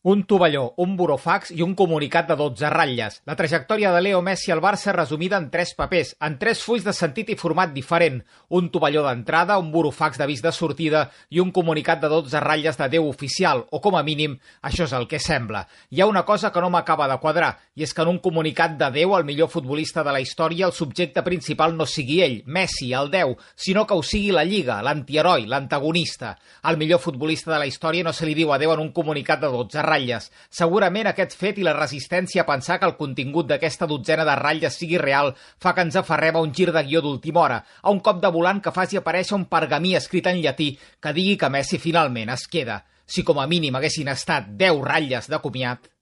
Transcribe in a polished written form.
Un tovalló, un burofax i un comunicat de 12 ratlles. La trajectòria de Leo Messi al Barça resumida en 3 papers, en 3 fulls de sentit i format diferent. Un tovalló d'entrada, un burofax d'avís de sortida i un comunicat de 12 ratlles d'adeu oficial, o com a mínim, això és el que sembla. Hi ha una cosa que no m'acaba de quadrar, i és que en un comunicat d'adeu al millor futbolista de la història el subjecte principal no sigui ell, Messi, el 10, sinó que ho sigui la Lliga, l'antiheroi, l'antagonista. Al millor futbolista de la història no se li diu adeu en un comunicat de 12 ratlles. Segurament aquest fet i la resistència a pensar que el contingut d'aquesta dotzena de ratlles sigui real fa que ens aferrem a un gir de guió d'última hora, a un cop de volant que faci aparèixer un pergamí escrit en llatí que digui que Messi finalment es queda. Si com a mínim haguessin estat 10 ratlles de comiat...